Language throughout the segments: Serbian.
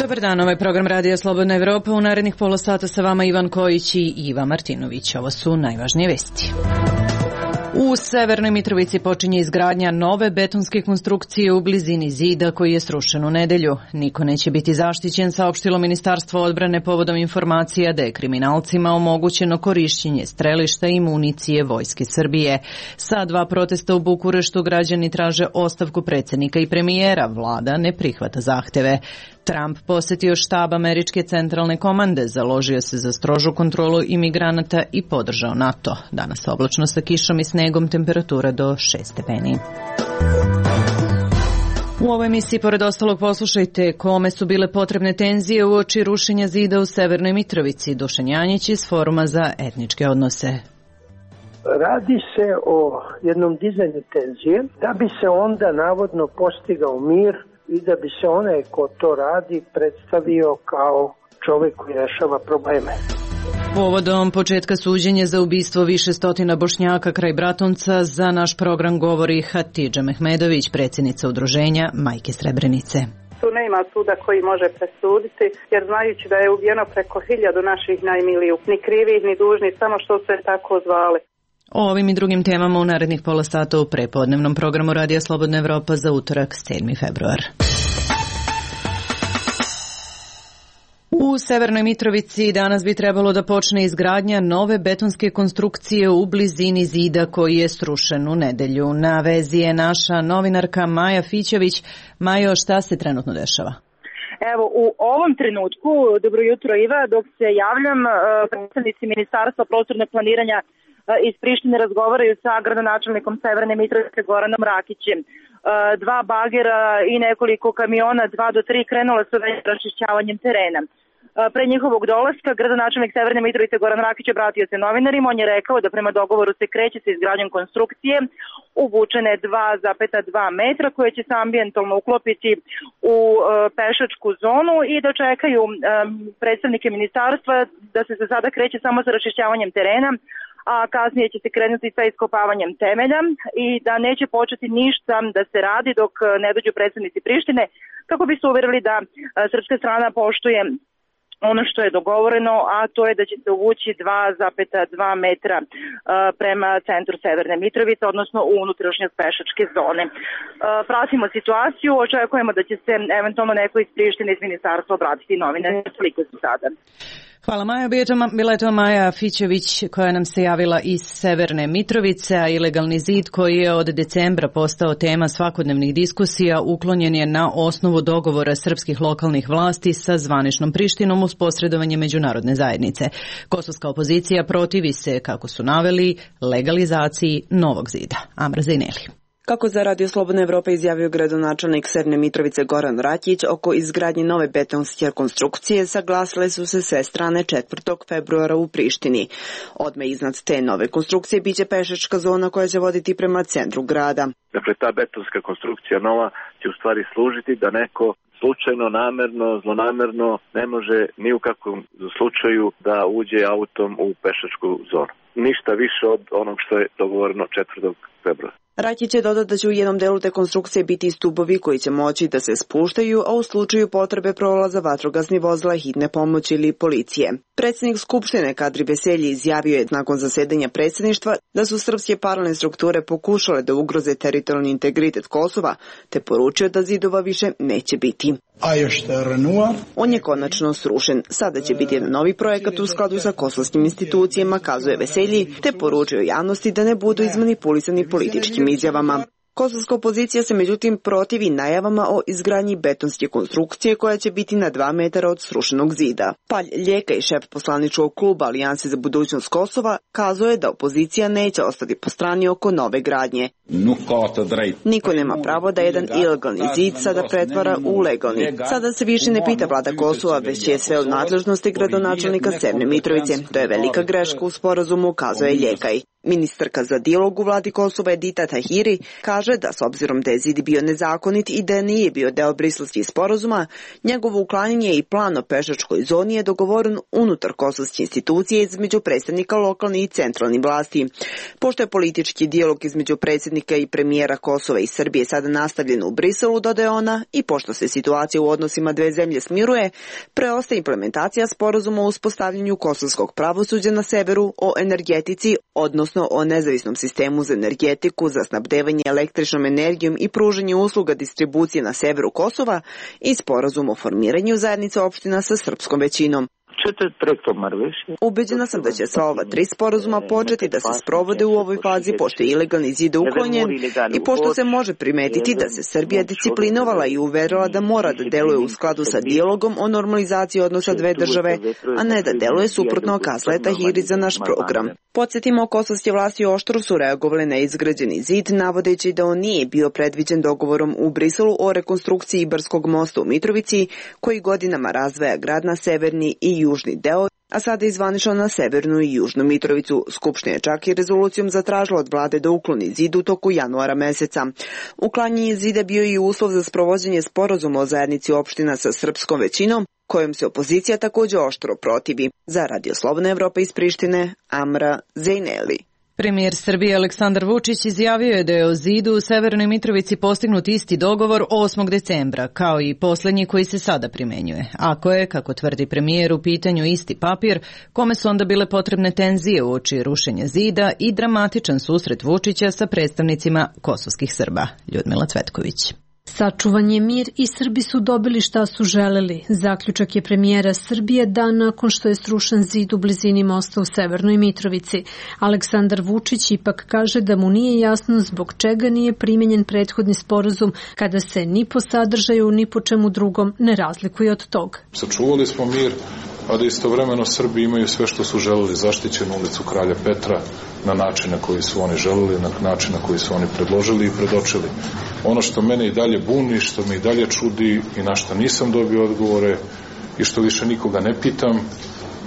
Dobar dan, ovaj program Radija Slobodna Evropa. U narednih pola sata sa vama Ivan Kojić i Iva Martinović. Ovo su najvažnije vesti. U Severnoj Mitrovici počinje izgradnja nove betonske konstrukcije u blizini zida koji je srušen u nedelju. Niko neće biti zaštićen, saopštilo Ministarstvo odbrane povodom informacija da je kriminalcima omogućeno korišćenje strelišta i municije Vojske Srbije. Sa 2 protesta u Bukureštu građani traže ostavku predsjednika i premijera. Vlada ne prihvata zahteve. Trump posjetio štab Američke centralne komande, založio se za strožu kontrolu imigranata i podržao NATO. Danas oblačno sa kišom i snegom, temperatura do 6 stepeni. U ovoj emisiji, pored ostalog, poslušajte kome su bile potrebne tenzije uoči rušenja zida u Severnoj Mitrovici. Dušan Janjić iz Foruma za etničke odnose. Radi se o jednom dizanju tenzije da bi se onda navodno postigao mir i da bi se onaj ko to radi predstavio kao čovjek koji rešava probleme. Povodom početka suđenja za ubistvo više stotina Bošnjaka kraj Bratunca, za naš program govori Hatidža Mehmedović, predsjednica udruženja Majke Srebrenice. Tu nema suda koji može presuditi, jer znajući da je ubijeno preko 1000 naših najmilijih, ni krivih ni dužnih, samo što se tako zvali. O ovim i drugim temama u narednih pola sata u prepodnevnom programu Radija Slobodna Evropa za utorak 7. februar. U Severnoj Mitrovici danas bi trebalo da počne izgradnja nove betonske konstrukcije u blizini zida koji je srušen u nedelju. Na vezi je naša novinarka Maja Fićević. Majo, šta se trenutno dešava? Evo, u ovom trenutku, dobro jutro Iva, dok se javljam, predstavnici Ministarstva prostornog planiranja iz Prištine razgovaraju sa gradonačelnikom Severne Mitrovice Goranom Rakićem. 2 bagera i nekoliko kamiona, 2 do 3 krenula su već raščišćavanjem terena. Pre njihovog dolaska, gradonačelnik Severne Mitrovice Goran Rakić obratio se novinarima. On je rekao da prema dogovoru se kreće sa izgradnjom konstrukcije uvučene 2,2 metra koje će se ambijentalno uklopiti u pešačku zonu i da čekaju predstavnike ministarstva da se za sada kreće samo sa raščišćavanjem terena, a kasnije će se krenuti sa iskopavanjem temelja i da neće početi ništa da se radi dok ne dođu predstavnici Prištine, kako bi se uvjerili da srpska strana poštuje ono što je dogovoreno, a to je da će se uvući 2,2 metra prema centru Severne Mitrovice, odnosno u unutrašnjost pešačke zone. Pratimo situaciju, očekujemo da će se eventualno neko iz Prištine iz ministarstva obratiti novinarima. Toliko su sada. Hvala Maja. Bila je to Maja Fićević koja nam se javila iz Severne Mitrovice, a ilegalni zid koji je od decembra postao tema svakodnevnih diskusija uklonjen je na osnovu dogovora srpskih lokalnih vlasti sa zvaničnom Prištinom uz posredovanje međunarodne zajednice. Kosovska opozicija protivi se, kako su naveli, legalizaciji novog zida. Amra Zajneli. Kako za Radio Slobodna Evropa izjavio gradonačelnik Severne Mitrovice Goran Rakić, oko izgradnje nove betonske konstrukcije saglasile su se sve strane 4. februara u Prištini. Odmah iznad te nove konstrukcije biće pešačka zona koja će voditi prema centru grada. Dakle, ta betonska konstrukcija nova će u stvari služiti da neko slučajno, namerno, zlonamerno ne može ni u kakvom slučaju da uđe autom u pešačku zonu. Ništa više od onog što je dogovoreno 4. februara. Rakić je dodao da će u jednom delu te konstrukcije biti stubovi koji će moći da se spuštaju, a u slučaju potrebe prolaza vatrogasni vozila, hitne pomoći ili policije. Predsjednik Skupštine Kadri Veselji izjavio je nakon zasedanja predsjedništva da su srpske paralelne strukture pokušale da ugroze teritorijalni integritet Kosova, te poručio da zidova više neće biti. On je konačno srušen. Sada će biti jedan novi projekat u skladu sa kosovskim institucijama, kazuje Veselji, te poručio javnosti da ne budu izmanipulisani političkim izjavama. Kosovska opozicija se međutim protivi najavama o izgradnji betonske konstrukcije koja će biti na 2 metara od srušenog zida. Palj Ljeka i šef poslaničkog kluba Alijanse za budućnost Kosova kazuje da opozicija neće ostati po strani oko nove gradnje. Niko nema pravo da jedan ilegalni zid sada pretvara u legalni. Sada se više ne pita vlada Kosova, već je sve u nadležnosti gradonačelnika Severne Mitrovice. To je velika greška u sporazumu, kazuje Ljekaj. Ministarka za dijalog u vladi Kosova Edita Tahiri kaže da s obzirom da je zid bio nezakonit i da nije bio deo briselskih sporazuma, njegovo uklanjanje i plan o pešačkoj zoni je dogovoren unutar kosovske institucije između predstavnika lokalne i centralne vlasti. Pošto je politički dijalog između predsjednika i premijera Kosova i Srbije sada nastavljen u Briselu, dodaje ona, i pošto se situacija u odnosima dve zemlje smiruje, preostaje implementacija sporazuma o uspostavljanju kosovskog pravosuđa na severu, o energetici, odnosno o nezavisnom sistemu za energetiku, za snabdevanje električnom energijom i pružanje usluga distribucije na severu Kosova i sporazum o formiranju zajednice opština sa srpskom većinom. Ubeđena sam da će sva ova tri sporazuma početi da se sprovode u ovoj fazi, pošto je ilegalni zid uklonjen i pošto se može primetiti da se Srbija disciplinovala i uverila da mora da deluje u skladu sa dijalogom o normalizaciji odnosa dve države, a ne da deluje suprotno, kazala Tahiri za naš program. Podsjetimo, kosovske vlasti oštro su reagovale na izgrađeni zid, navodeći da on nije bio predviđen dogovorom u Briselu o rekonstrukciji Ibarskog mosta u Mitrovici, koji godinama razdvaja grad na severni i južni deo, a sada je zvanično na severnu i južnu Mitrovicu. Skupština je čak i rezolucijom zatražila od vlade da ukloni zid u toku januara meseca. Uklanjanje zida bio i uslov za sprovođenje sporazuma o zajednici opština sa srpskom većinom, kojom se opozicija također oštro protivi. Za Radio Slobodna Evropa iz Prištine, Amra Zejneli. Premijer Srbije Aleksandar Vučić izjavio je da je o zidu u Severnoj Mitrovici postignut isti dogovor 8. decembra, kao i posljednji koji se sada primenjuje. Ako je, kako tvrdi premijer, u pitanju isti papir, kome su onda bile potrebne tenzije uoči rušenja zida i dramatičan susret Vučića sa predstavnicima kosovskih Srba. Ljudmila Cvetković. Sačuvan je mir i Srbi su dobili šta su želeli. Zaključak je premijera Srbije dan nakon što je srušen zid u blizini mosta u Severnoj Mitrovici. Aleksandar Vučić ipak kaže da mu nije jasno zbog čega nije primenjen prethodni sporazum kada se ni po sadržaju ni po čemu drugom ne razlikuje od tog. Sačuvali smo mir, a da istovremeno Srbi imaju sve što su želeli, zaštićenu ulicu Kralja Petra na način na koji su oni želeli, na način na koji su oni predložili i predočili. Ono što mene i dalje buni, što me i dalje čudi i na što nisam dobio odgovore i što više nikoga ne pitam,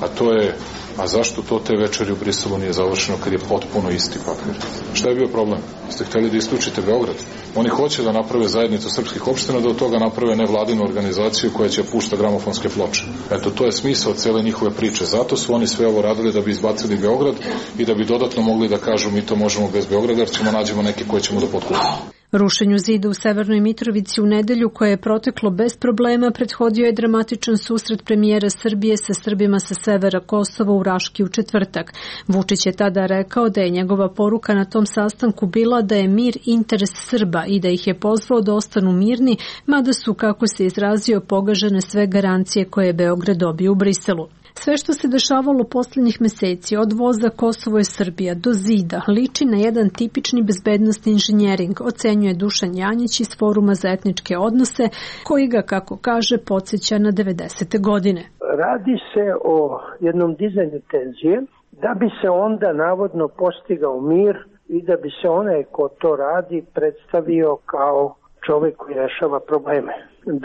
a to je, a zašto to te večeri u Briselu nije završeno kad je potpuno isti papir? Šta je bio problem? Ste hteli da isključite Beograd? Oni hoće da naprave zajednicu srpskih opština, da od toga naprave nevladinu organizaciju koja će pušta gramofonske ploče. Eto, to je smisao cele njihove priče. Zato su oni sve ovo radili da bi izbacili Beograd i da bi dodatno mogli da kažu mi to možemo bez Beograda, jer ćemo nađemo neke koje ćemo da potkupimo. Rušenju zida u Severnoj Mitrovici u nedelju koje je proteklo bez problema prethodio je dramatičan susret premijera Srbije sa Srbima sa severa Kosova u Raški u četvrtak. Vučić je tada rekao da je njegova poruka na tom sastanku bila da je mir interes Srba i da ih je pozvao da ostanu mirni, mada su, kako se izrazio, pogažene sve garancije koje je Beograd dobio u Briselu. Sve što se dešavalo posljednjih meseci, od voza Kosovo je Srbija do zida, liči na jedan tipični bezbednostni inženjering, ocenjuje Dušan Janjić iz Foruma za etničke odnose, koji ga, kako kaže, podsjeća na 90. godine. Radi se o jednom dizanju tenzije, da bi se onda navodno postigao mir i da bi se onaj ko to radi predstavio kao čovjek koji rešava probleme.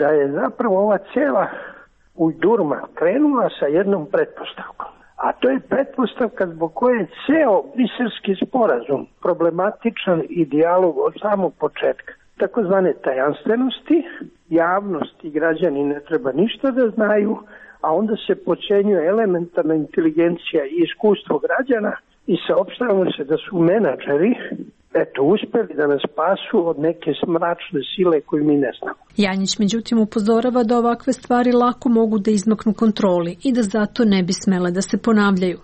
Da je zapravo ova cijela ujdurma krenula sa jednom pretpostavkom. A to je pretpostavka zbog koje je ceo briselski sporazum problematičan i dijalog od samog početka. Takozvane tajanstvenosti, javnost i građani ne treba ništa da znaju, a onda se počenjuje elementarna inteligencija i iskustvo građana i saopštavamo se da su menadžeri uspeli da nas spasu od neke mračne sile koju mi ne znamo. Janjić međutim upozorava da ovakve stvari lako mogu da izmaknu kontroli i da zato ne bi smele da se ponavljaju.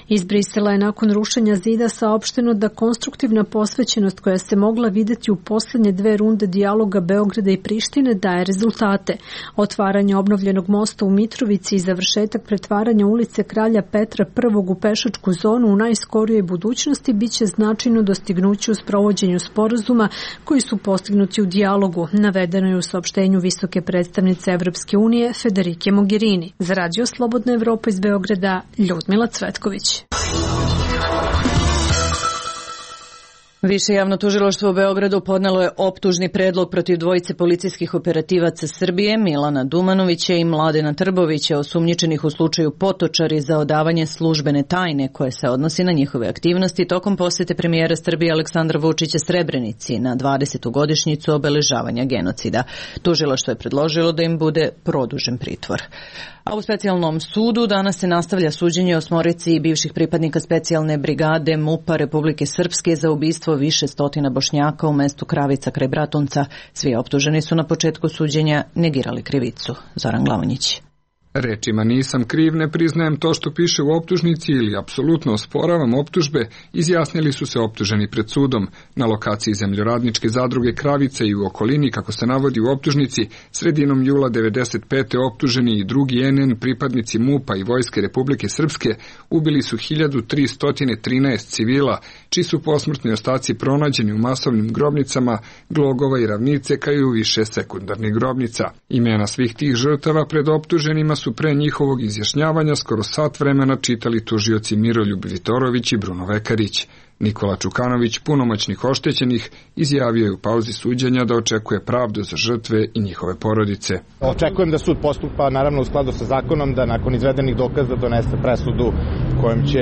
Iz Brisela je nakon rušenja zida saopšteno da konstruktivna posvećenost koja se mogla videti u poslednje 2 runde dijaloga Beograda i Prištine daje rezultate. Otvaranje obnovljenog mosta u Mitrovici i završetak pretvaranja ulice Kralja Petra I u pešačku zonu u najskorijoj budućnosti biće značajno dostignuće u sprovođenju sporazuma koji su postignuti u dijalogu, navedeno je u saopštenju visoke predstavnice Evropske unije Federike Mogherini. Za Radio Slobodna Evropa iz Beograda, Ljudmila Cvetković. Više javno tužilaštvo u Beogradu podnelo je optužni predlog protiv dvojice policijskih operativaca Srbije, Milana Dumanovića i Mladena Trbovića, osumnjičenih u slučaju Potočari za odavanje službene tajne koje se odnosi na njihove aktivnosti tokom posete premijera Srbije Aleksandra Vučića Srebrenici na 20. godišnjicu obeležavanja genocida. Tužilaštvo je predložilo da im bude produžen pritvor. A u specijalnom sudu danas se nastavlja suđenje osmorici bivših pripadnika specijalne brigade MUP-a Republike Srpske za ubistvo više stotina Bošnjaka u mestu Kravica kraj Bratunca. Svi optuženi su na početku suđenja negirali krivicu. Zoran Glavonjić. Rečima nisam kriv, ne priznajem to što piše u optužnici ili apsolutno osporavam optužbe, izjasnili su se optuženi pred sudom. Na lokaciji zemljoradničke zadruge Kravice i u okolini, kako se navodi u optužnici, sredinom jula 1995. optuženi i drugi NN pripadnici MUP-a i Vojske Republike Srpske ubili su 1313 civila, čiji su posmrtni ostaci pronađeni u masovnim grobnicama Glogova i Ravnice, kao i u više sekundarnih grobnica. Imena svih tih žrtava pred optuženima su pre njihovog izjašnjavanja skoro sat vremena čitali tužioci Miroljub Vitorović i Bruno Vekarić. Nikola Čukanović, punomoćnik oštećenih, izjavio je u pauzi suđenja da očekuje pravdu za žrtve i njihove porodice. Očekujem da sud postupa naravno u skladu sa zakonom, da nakon izvedenih dokaza donese presudu kojom će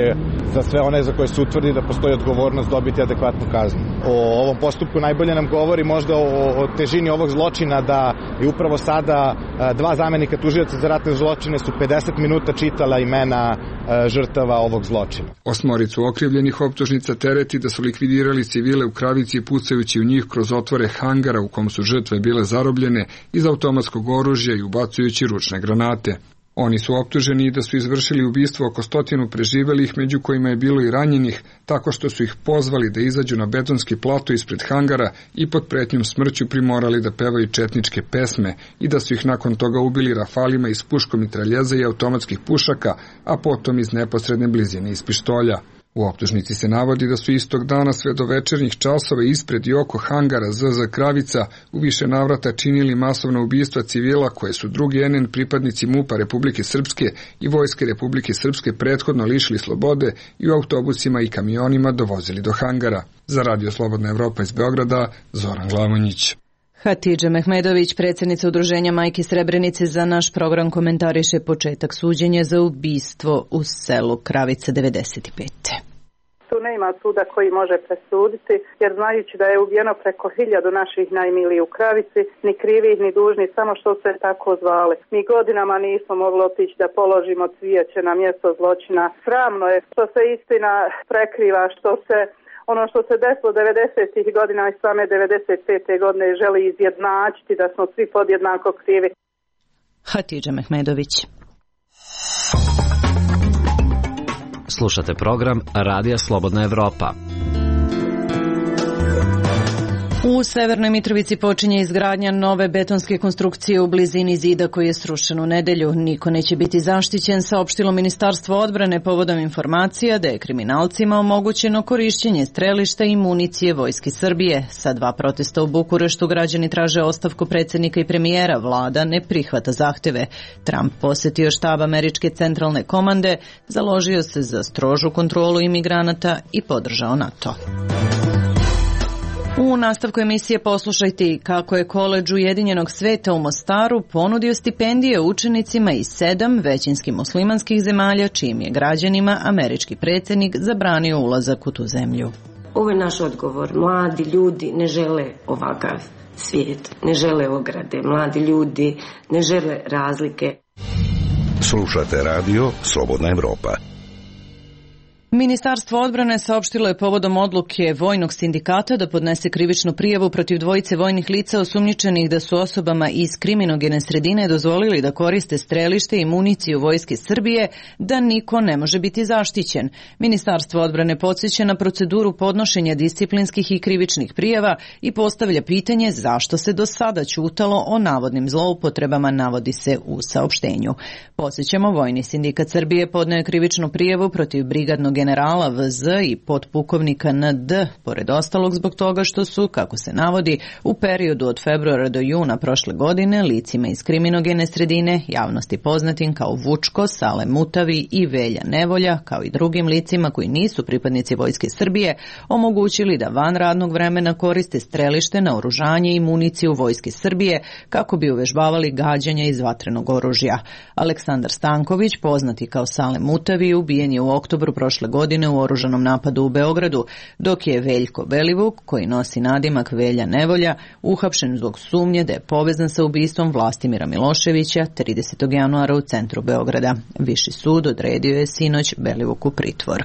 za sve one za koje se utvrdi da postoji odgovornost dobiti adekvatnu kaznu. O ovom postupku najbolje nam govori možda o težini ovog zločina, da je upravo sada dva zamenika tužioca za ratne zločine su 50 minuta čitala imena žrtava ovog zločina. Osmoricu okrivljenih optužnica tereti da su likvidirali civile u Kravici pucajući u njih kroz otvore hangara u kom su žrtve bile zarobljene iz automatskog oružja i ubacujući ručne granate. Oni su optuženi da su izvršili ubistvo oko 100 preživelih, među kojima je bilo i ranjenih, tako što su ih pozvali da izađu na betonski plato ispred hangara i pod pretnjom smrću primorali da pevaju četničke pesme i da su ih nakon toga ubili rafalima iz puškomitraljeza i automatskih pušaka, a potom iz neposredne blizine iz pištolja. U optužnici se navodi da su istog dana sve do večernjih časova ispred i oko hangara ZZ Kravica u više navrata činili masovna ubistva civila koje su drugi NN pripadnici MUP-a Republike Srpske i Vojske Republike Srpske prethodno lišili slobode i u autobusima i kamionima dovozili do hangara. Za Radio Slobodna Evropa iz Beograda, Zoran Glavonjić. Hatidža Mehmedović, predsjednica Udruženja Majki Srebrenice, za naš program komentariše početak suđenja za ubistvo u selu Kravica 95. Tu nema suda koji može presuditi, jer znajući da je ubijeno preko 1000 naših najmiliji u Kravici, ni krivih ni dužni, samo što se tako zvali. Mi godinama nismo mogli otići da položimo cvijeće na mjesto zločina. Sramno je što se istina prekriva, što se ono što se desilo 90. godina i same 95. godine želi izjednačiti da smo svi podjednako krivi. Hatidža Mehmedović. Slušate program Radija Slobodna Evropa. U Severnoj Mitrovici počinje izgradnja nove betonske konstrukcije u blizini zida koji je srušen u nedelju. Niko neće biti zaštićen, saopštilo Ministarstvo odbrane povodom informacija da je kriminalcima omogućeno korišćenje strelišta i municije Vojske Srbije. Sa 2 protesta u Bukureštu građani traže ostavku predsjednika i premijera. Vlada ne prihvata zahteve. Trump posjetio štab američke centralne komande, založio se za strožu kontrolu imigranata i podržao NATO. U nastavku emisije poslušajte kako je Koledž Ujedinjenog sveta u Mostaru ponudio stipendije učenicima iz 7 većinski muslimanskih zemalja, čijim je građanima američki predsjednik zabranio ulazak u tu zemlju. Ovo je naš odgovor. Mladi ljudi ne žele ovakav svijet, ne žele ograde. Mladi ljudi ne žele razlike. Slušate radio Slobodna Evropa. Ministarstvo odbrane saopštilo je povodom odluke vojnog sindikata da podnese krivičnu prijavu protiv dvojice vojnih lica osumnjičenih da su osobama iz kriminogene sredine dozvolili da koriste strelište i municiju Vojske Srbije, da niko ne može biti zaštićen. Ministarstvo odbrane podsjeća na proceduru podnošenja disciplinskih i krivičnih prijava i postavlja pitanje zašto se do sada ćutalo o navodnim zloupotrebama, navodi se u saopštenju. Podsjećamo, Vojni sindikat Srbije podneo je krivičnu prijavu protiv brigadnog generala VZ i potpukovnika ND, pored ostalog zbog toga što su, kako se navodi, u periodu od februara do juna prošle godine licima iz kriminogene sredine, javnosti poznatim kao Vučko, Sale Mutavi i Velja Nevolja, kao i drugim licima koji nisu pripadnici Vojske Srbije, omogućili da van radnog vremena koriste strelište, naoružanje i municiju Vojske Srbije kako bi uvežbavali gađanja iz vatrenog oružja. Aleksandar Stanković, poznati kao Sale Mutavi, ubijen je u oktobru prošle godine u oružanom napadu u Beogradu, dok je Veljko Belivuk, koji nosi nadimak Velja Nevolja, uhapšen zbog sumnje da je povezan sa ubistvom Vlastimira Miloševića 30. januara u centru Beograda. Viši sud odredio je sinoć Belivuku pritvor.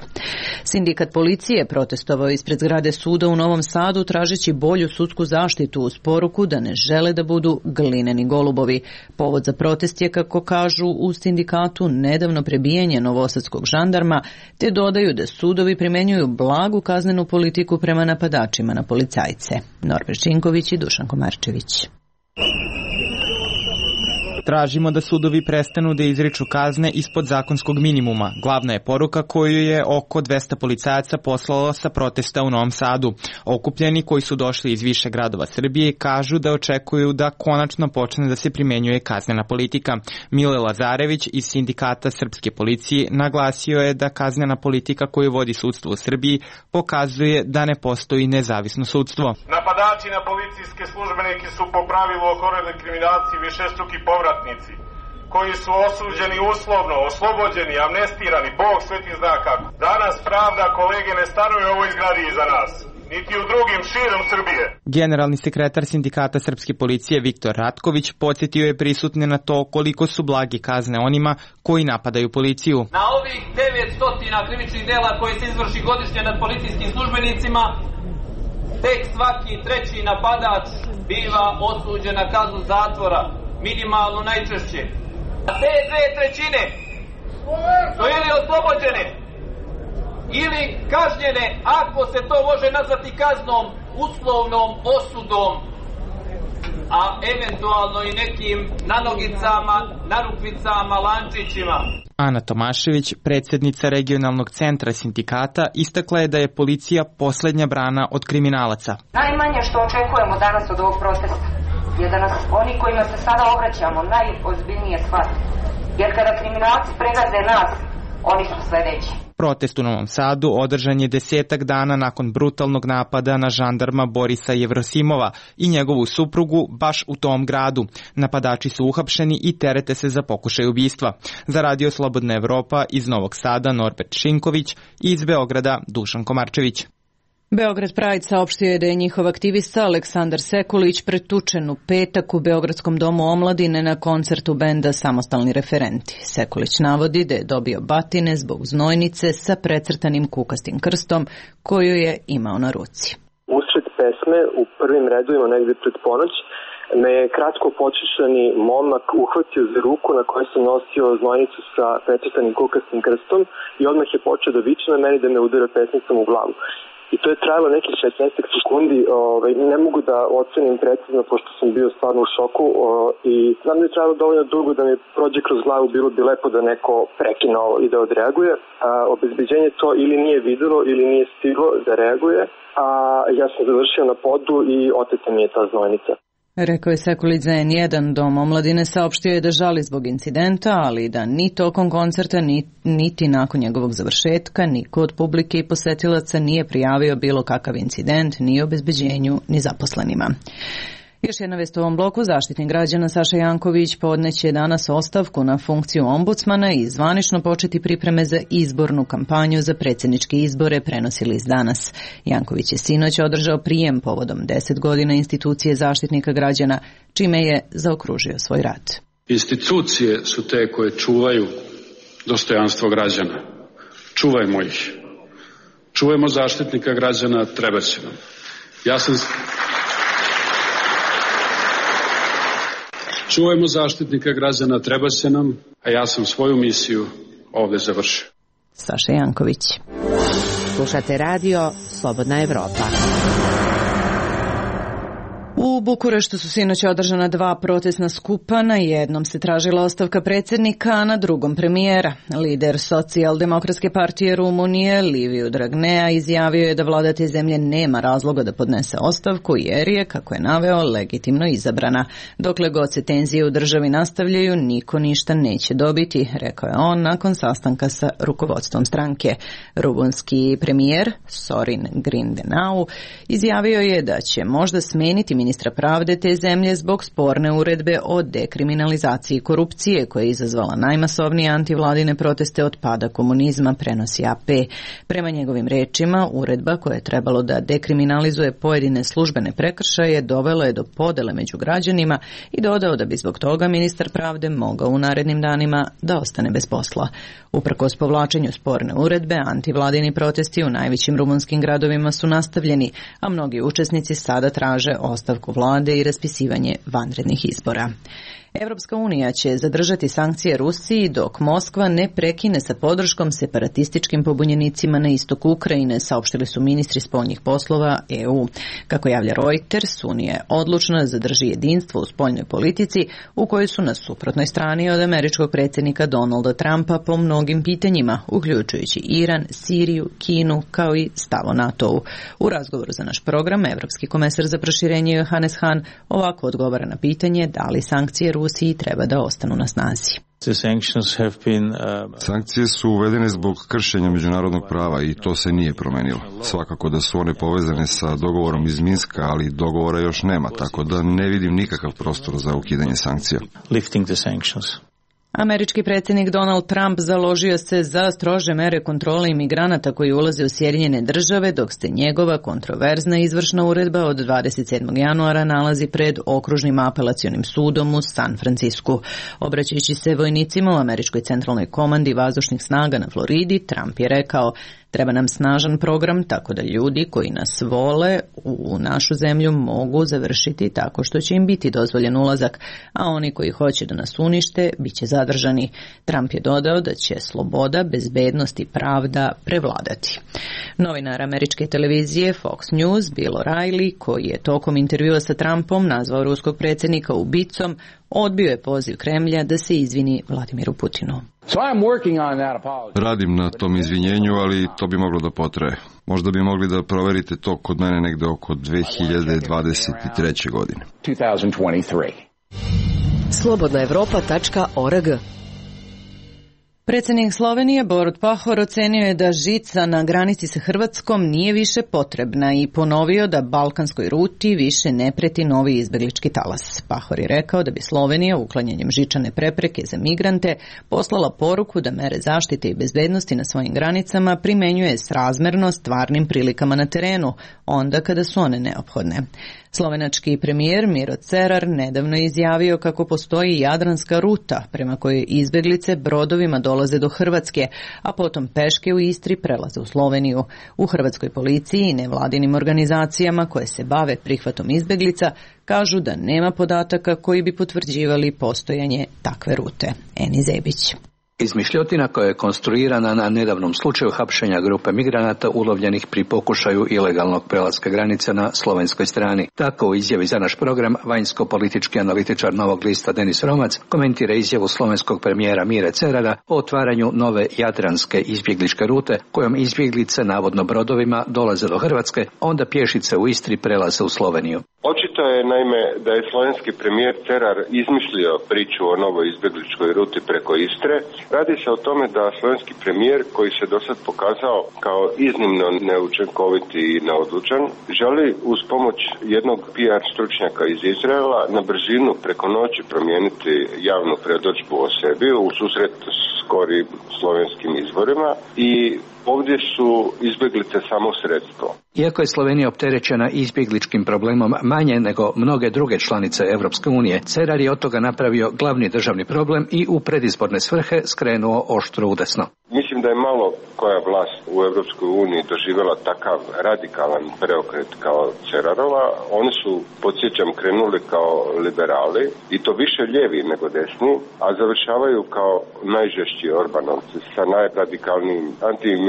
Sindikat policije protestovao ispred zgrade suda u Novom Sadu tražeći bolju sudsku zaštitu uz poruku da ne žele da budu glineni golubovi. Povod za protest je, kako kažu u sindikatu, nedavno prebijanje novosadskog žandarma, te dodaju da sudovi primenjuju blagu kaznenu politiku prema napadačima na policajce. Norbert Činković i Dušan Komarčević. Tražimo da sudovi prestanu da izriču kazne ispod zakonskog minimuma. Glavna je poruka koju je oko 200 policajaca poslalo sa protesta u Novom Sadu. Okupljeni koji su došli iz više gradova Srbije kažu da očekuju da konačno počne da se primenjuje kaznena politika. Mile Lazarević iz Sindikata srpske policije naglasio je da kaznena politika koju vodi sudstvo u Srbiji pokazuje da ne postoji nezavisno sudstvo. Napadači na policijske službenike su po pravilu okoreli kriminalci višestruki povratnici, koji su osuđeni uslovno, oslobođeni, amnestirani, Bog sveti zna kako. Danas pravda, kolege, ne stanuje u ovoj zgradi iza nas, niti u drugim širom Srbije. Generalni sekretar Sindikata srpske policije Viktor Ratković podsjetio je prisutne na to koliko su blagi kazne onima koji napadaju policiju. Na ovih 900 krivičnih dela koje se izvrši godišnje nad policijskim službenicima, tek svaki treći napadač biva osuđen na kaznu zatvora, minimalno najčešće. A te 2/3 su ili oslobođene ili kažnjene, ako se to može nazvati kaznom, uslovnom osudom, a eventualno i nekim nanogicama, narukvicama, lančićima. Ana Tomašević, predsjednica regionalnog centra sindikata, istakla je da je policija poslednja brana od kriminalaca. Najmanje što očekujemo danas od ovog protesta je da nas oni kojima se sada obraćamo najozbiljnije shvate. Jer kada kriminalci pregaze nas, oni su sledeći. Protest u Novom Sadu održan je 10 dana nakon brutalnog napada na žandarma Borisa Jevrosimova i njegovu suprugu baš u tom gradu. Napadači su uhapšeni i terete se za pokušaj ubistva. Za Radio Slobodna Evropa iz Novog Sada Norbert Šinković i iz Beograda Dušan Komarčević. Beograd Pride saopštio je da je njihov aktivista Aleksandar Sekulić pretučen u petak u Beogradskom domu omladine na koncertu benda Samostalni referenti. Sekulić navodi da je dobio batine zbog znojnice sa precrtanim kukastim krstom koju je imao na ruci. Usred pesme u prvim redovima negde pred ponoć me je kratko počešani momak uhvatio za ruku na kojoj sam nosio znojnicu sa precrtanim kukastim krstom i odmah je počeo da viče na meni da me udara pesnicom u glavu. I to je trajalo nekih 16 sekundi, ne mogu da ocenim precizno pošto sam bio stvarno u šoku i znam da je trajalo dovoljno dugo da mi prođe kroz glavu, bilo bi lepo da neko prekine ovo i da odreaguje. Obezbeđenje to ili nije videlo ili nije stiglo da reaguje, a ja sam završio na podu i oteta mi je ta znojnica. Rekao je Sekulić za N1. Dom omladine saopštio je da žali zbog incidenta, ali da ni tokom koncerta, niti nakon njegovog završetka, niko od publike i posetilaca nije prijavio bilo kakav incident, ni obezbeđenju, ni zaposlenima. Još jedna vest u ovom bloku. Zaštitnik građana Saša Janković podneće danas ostavku na funkciju ombudsmana i zvanično početi pripreme za izbornu kampanju za predsjedničke izbore, prenosi list Danas. Janković je sinoć održao prijem povodom 10 godina institucije Zaštitnika građana, čime je zaokružio svoj rad. Institucije su te koje čuvaju dostojanstvo građana. Čuvajmo ih. Čuvajmo Zaštitnika građana, treba će nam. Čuvajmo Zaštitnika građana, treba se nam, a ja sam svoju misiju ovde završio. Saša Janković. Slušate radio Slobodna Evropa. U Bukureštu su sinoć održana 2 protestna skupa, na jednom se tražila ostavka predsjednika, a na drugom premijera. Lider Socijaldemokratske partije Rumunije, Liviu Dragnea, izjavio je da vlada te zemlje nema razloga da podnese ostavku jer je, kako je naveo, legitimno izabrana. Dokle god se tenzije u državi nastavljaju, niko ništa neće dobiti, rekao je on nakon sastanka sa rukovodstvom stranke. Rumunski premijer, Sorin Grindenau, izjavio je da će možda smeniti ministra pravde te zemlje zbog sporne uredbe o dekriminalizaciji korupcije koja je izazvala najmasovnije antivladine proteste od pada komunizma, prenosi AP. Prema njegovim rečima, uredba koja je trebalo da dekriminalizuje pojedine službene prekršaje dovela je do podele među građanima i dodao da bi zbog toga ministar pravde mogao u narednim danima da ostane bez posla. Uprkos povlačenju sporne uredbe, antivladini protesti u najvećim rumunskim gradovima su nastavljeni, a mnogi učesnici sada traže ostavku vlade i raspisivanje vanrednih izbora. Evropska unija će zadržati sankcije Rusiji dok Moskva ne prekine sa podrškom separatističkim pobunjenicima na istoku Ukrajine, saopštili su ministri spoljnih poslova EU. Kako javlja Reuters, Unija je odlučna da zadrži jedinstvo u spoljnoj politici u kojoj su na suprotnoj strani od američkog predsjednika Donalda Trumpa po mnogim pitanjima, uključujući Iran, Siriju, Kinu, kao i stav o NATO-u. U razgovoru za naš program, Evropski komesar za proširenje Johannes Hahn ovako odgovara na pitanje da li sankcije Rusiji treba da ostanu na snazi. Sankcije su uvedene zbog kršenja međunarodnog prava i to se nije promenilo. Svakako da su one povezane sa dogovorom iz Minska, ali dogovora još nema, tako da ne vidim nikakav prostor za ukidanje sankcija. Američki predsjednik Donald Trump založio se za strože mere kontrole imigranata koji ulaze u Sjedinjene Države, dok se njegova kontroverzna izvršna uredba od 27. januara nalazi pred okružnim apelacionim sudom u San Francisku. Obraćajući se vojnicima u Američkoj centralnoj komandi vazdušnih snaga na Floridi, Trump je rekao: treba nam snažan program tako da ljudi koji nas vole u našu zemlju mogu završiti tako što će im biti dozvoljen ulazak, a oni koji hoće da nas unište bit će zadržani. Trump je dodao da će sloboda, bezbednost i pravda prevladati. Novinar američke televizije Fox News, Bill O'Reilly, koji je tokom intervjua sa Trumpom nazvao ruskog predsjednika ubicom, odbio je poziv Kremlja da se izvini Vladimiru Putinu. Radim na tom izvinjenju, ali to bi moglo da potraje. Možda bi mogli da proverite to kod mene negde oko 2023. godine. Slobodnaevropa.org. Predsjednik Slovenije Borut Pahor ocenio je da žica na granici sa Hrvatskom nije više potrebna i ponovio da balkanskoj ruti više ne preti novi izbeglički talas. Pahor je rekao da bi Slovenija uklanjanjem žičane prepreke za migrante poslala poruku da mere zaštite i bezbednosti na svojim granicama primenjuje srazmerno stvarnim prilikama na terenu, onda kada su one neophodne. Slovenački premijer Miro Cerar nedavno je izjavio kako postoji jadranska ruta prema kojoj izbeglice brodovima dolaze do Hrvatske, a potom peške u Istri prelaze u Sloveniju. U hrvatskoj policiji i nevladinim organizacijama koje se bave prihvatom izbeglica kažu da nema podataka koji bi potvrđivali postojanje takve rute. Eni Zebić. Izmišljotina koja je konstruirana na nedavnom slučaju hapšenja grupe migranata ulovljenih pri pokušaju ilegalnog prelaska granice na slovenskoj strani. Tako u izjavi za naš program vanjsko-politički analitičar Novog lista Denis Romac komentira izjavu slovenskog premijera Mire Cerara o otvaranju nove jadranske izbjegličke rute kojom izbjeglice navodno brodovima dolaze do Hrvatske, onda pješice u Istri prelaze u Sloveniju. Očito je naime da je slovenski premijer Cerar izmislio priču o novoj izbjegličkoj ruti preko Istre. Radi se o tome da slovenski premijer, koji se do sad pokazao kao iznimno neučinkovit i neodlučan, želi uz pomoć jednog PR stručnjaka iz Izraela na brzinu preko noći promijeniti javnu predodžbu o sebi u susret skorim slovenskim izborima i ovdje su izbjeglice samo sredstvo. Iako je Slovenija opterećena izbjegličkim problemom manje nego mnoge druge članice Evropske unije, Cerar je od toga napravio glavni državni problem i u predizborne svrhe skrenuo oštro udesno. Mislim da je malo koja vlast u Evropskoj uniji doživjela takav radikalan preokret kao Cerarova. Oni su, podsjećam, krenuli kao liberali i to više lijevi nego desni, a završavaju kao najžešći Orbanovci sa najradikalnijim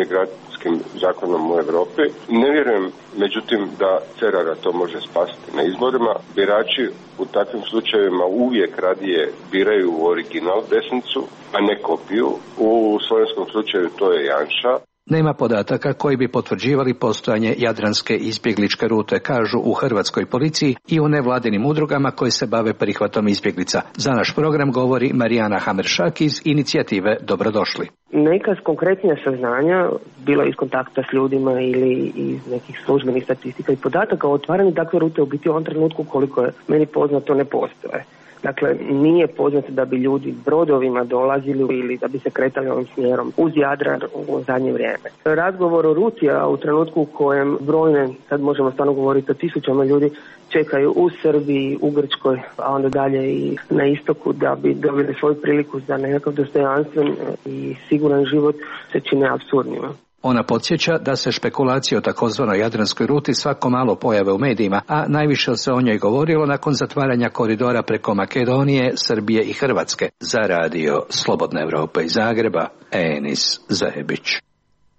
migracijskim zakonom u Evropi. Ne vjerujem, međutim, da Cerara to može spasiti na izborima. Birači u takvim slučajevima uvijek radije biraju u original desnicu, a ne kopiju. U slovenskom slučaju to je Janša. Nema podataka koji bi potvrđivali postojanje jadranske izbjegličke rute, kažu u hrvatskoj policiji i u nevladinim udrugama koje se bave prihvatom izbjeglica. Za naš program govori Marijana Hameršak iz inicijative Dobrodošli. Neka konkretnija saznanja, bilo iz kontakta s ljudima ili iz nekih službenih statistika i podataka o otvaranju takve rute u biti u ovom trenutku, koliko je meni poznato, ne postoje. Dakle, nije poznato da bi ljudi brodovima dolazili ili da bi se kretali ovim smjerom uz Jadran u zadnje vrijeme. Razgovor o ruti, a u trenutku u kojem brojne, sad možemo stvarno govoriti o tisućama ljudi, čekaju u Srbiji, u Grčkoj, a onda dalje i na istoku da bi dobili svoju priliku za nekakav dostojanstven i siguran život, se čine apsurdnima. Ona podsjeća da se špekulacije o takozvanoj jadranskoj ruti svako malo pojave u medijima, a najviše se o njoj govorilo nakon zatvaranja koridora preko Makedonije, Srbije i Hrvatske. Za radio Slobodna Evropa iz Zagreba, Enis Zajebić.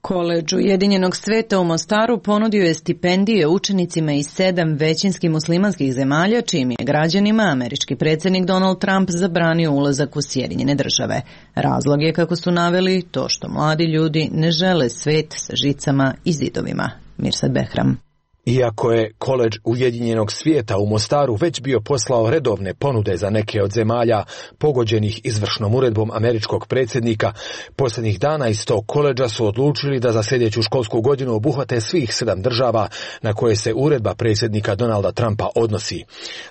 Koledž Ujedinjenog sveta u Mostaru ponudio je stipendije učenicima iz 7 većinski muslimanskih zemalja, čijim je građanima američki predsjednik Donald Trump zabranio ulazak u Sjedinjene države. Razlog je, kako su naveli, to što mladi ljudi ne žele svet sa žicama i zidovima. Mirsad Behram. Iako je Koledž Ujedinjenog svijeta u Mostaru već bio poslao redovne ponude za neke od zemalja pogođenih izvršnom uredbom američkog predsjednika, posljednjih dana iz tog koledža su odlučili da za sljedeću školsku godinu obuhvate svih 7 država na koje se uredba predsjednika Donalda Trumpa odnosi.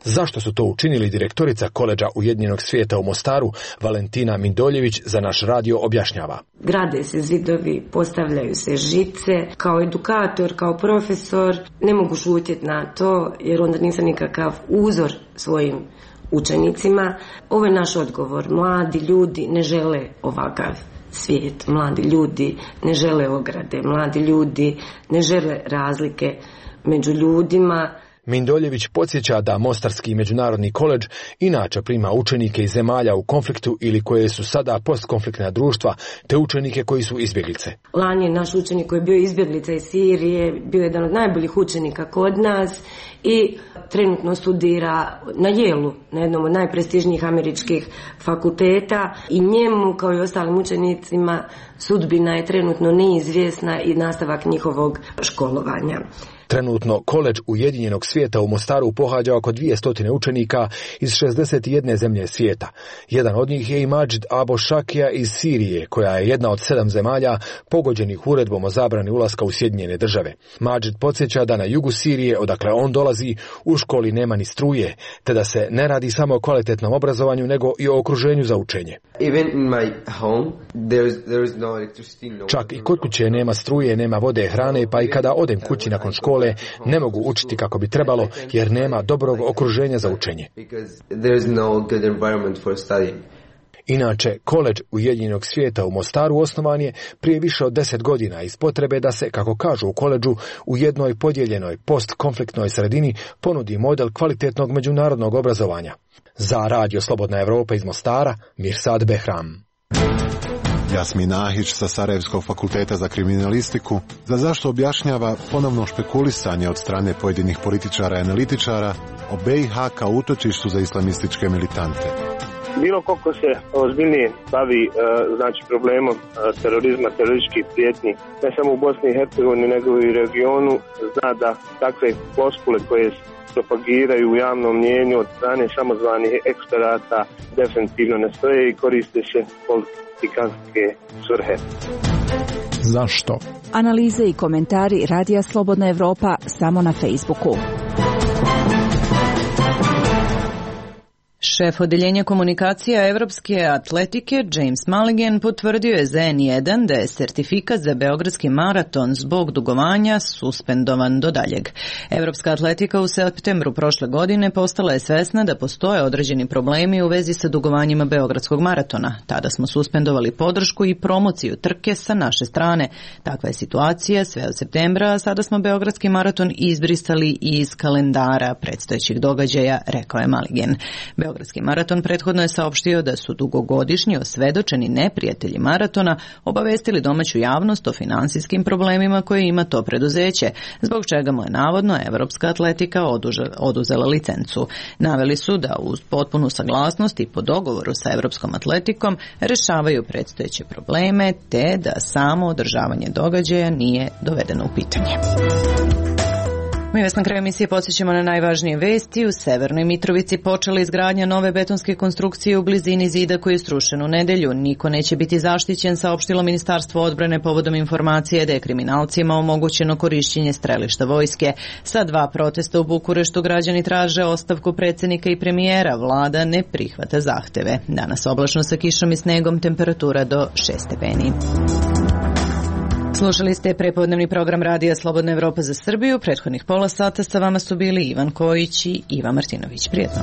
Zašto su to učinili, direktorica Koledža Ujedinjenog svijeta u Mostaru, Valentina Mindoljević, za naš radio objašnjava. Grade se zidovi, postavljaju se žice. Kao edukator, kao profesor, ne mogu šutjeti na to, jer onda nisam nikakav uzor svojim učenicima. Ovo je naš odgovor. Mladi ljudi ne žele ovakav svijet. Mladi ljudi ne žele ograde. Mladi ljudi ne žele razlike među ljudima. Mindoljević podsjeća da Mostarski međunarodni koledž inače prima učenike iz zemalja u konfliktu ili koje su sada postkonfliktna društva, te učenike koji su izbjeglice. Lani je naš učenik koji je bio izbjeglica iz Sirije, bio jedan od najboljih učenika kod nas i trenutno studira na Yale, na jednom od najprestižnijih američkih fakulteta, i njemu kao i ostalim učenicima sudbina je trenutno neizvjesna i nastavak njihovog školovanja. Trenutno Koledž Ujedinjenog svijeta u Mostaru pohađa oko 200 učenika iz 61 zemlje svijeta. Jedan od njih je i Mađid Abo Šakija iz Sirije, koja je jedna od 7 zemalja pogođenih uredbom o zabrani ulaska u Sjedinjene države. Mađid podsjeća da na jugu Sirije, odakle on dolazi, u školi nema ni struje, te da se ne radi samo o kvalitetnom obrazovanju, nego i o okruženju za učenje. Čak i kod kuće nema struje, nema vode, hrane, pa i kada odem kući nakon škole ne mogu učiti kako bi trebalo, jer nema dobrog okruženja za učenje. Inače, Koledž Ujedinjenog svijeta u Mostaru osnovan je prije više od 10 godina iz potrebe da se, kako kažu u koledžu, u jednoj podijeljenoj postkonfliktnoj sredini ponudi model kvalitetnog međunarodnog obrazovanja. Za radio Slobodna Evropa iz Mostara, Mirsad Behram. Jasmin Ahić sa Sarajevskog fakulteta za kriminalistiku za zašto objašnjava ponovno špekulisanje od strane pojedinih političara i analitičara o BiH kao utočištu za islamističke militante. Bilo ko se ozbiljnije bavi problemom terorizma, terorističkih prijetnji, ne samo u Bosni i Hercegovini nego i u regionu, zna da takve floskule koje propagiraju u javnom mnijenju od strane samozvanih eksperata definitivno ne stoje i koriste se politikanske svrhe. Zašto? Analize i komentari Radija Slobodna Evropa samo na Facebooku. Šef odeljenja komunikacija Evropske atletike James Mulligan potvrdio je za N1 da je sertifikat za Beogradski maraton zbog dugovanja suspendovan do daljeg. Evropska atletika u septembru prošle godine postala je svesna da postoje određeni problemi u vezi sa dugovanjima Beogradskog maratona. Tada smo suspendovali podršku i promociju trke sa naše strane. Takva je situacija sve od septembra, a sada smo Beogradski maraton izbrisali iz kalendara predstojećih događaja, rekao je Mulligan. Beogradski Beogradski maraton prethodno je saopštio da su dugogodišnji osvedočeni neprijatelji maratona obavestili domaću javnost o finansijskim problemima koje ima to preduzeće, zbog čega mu je navodno Evropska atletika oduzela licencu. Naveli su da uz potpunu saglasnost i po dogovoru sa Evropskom atletikom rešavaju predstojeće probleme, te da samo održavanje događaja nije dovedeno u pitanje. Mi vas na kraju emisije podsjećamo na najvažnije vesti. U Severnoj Mitrovici počela izgradnja nove betonske konstrukcije u blizini zida koji je srušen u nedelju. Niko neće biti zaštićen, saopštilo Ministarstvo odbrane povodom informacije da je kriminalcima omogućeno korišćenje strelišta vojske. Sa 2 protesta u Bukureštu građani traže ostavku predsjednika i premijera. Vlada ne prihvata zahteve. Danas oblačno sa kišom i snegom, temperatura do 6 stepeni. Slušali ste prepodnevni program Radija Slobodna Evropa za Srbiju. Prethodnih pola sata sa vama su bili Ivan Kojić i Iva Martinović. Prijetno.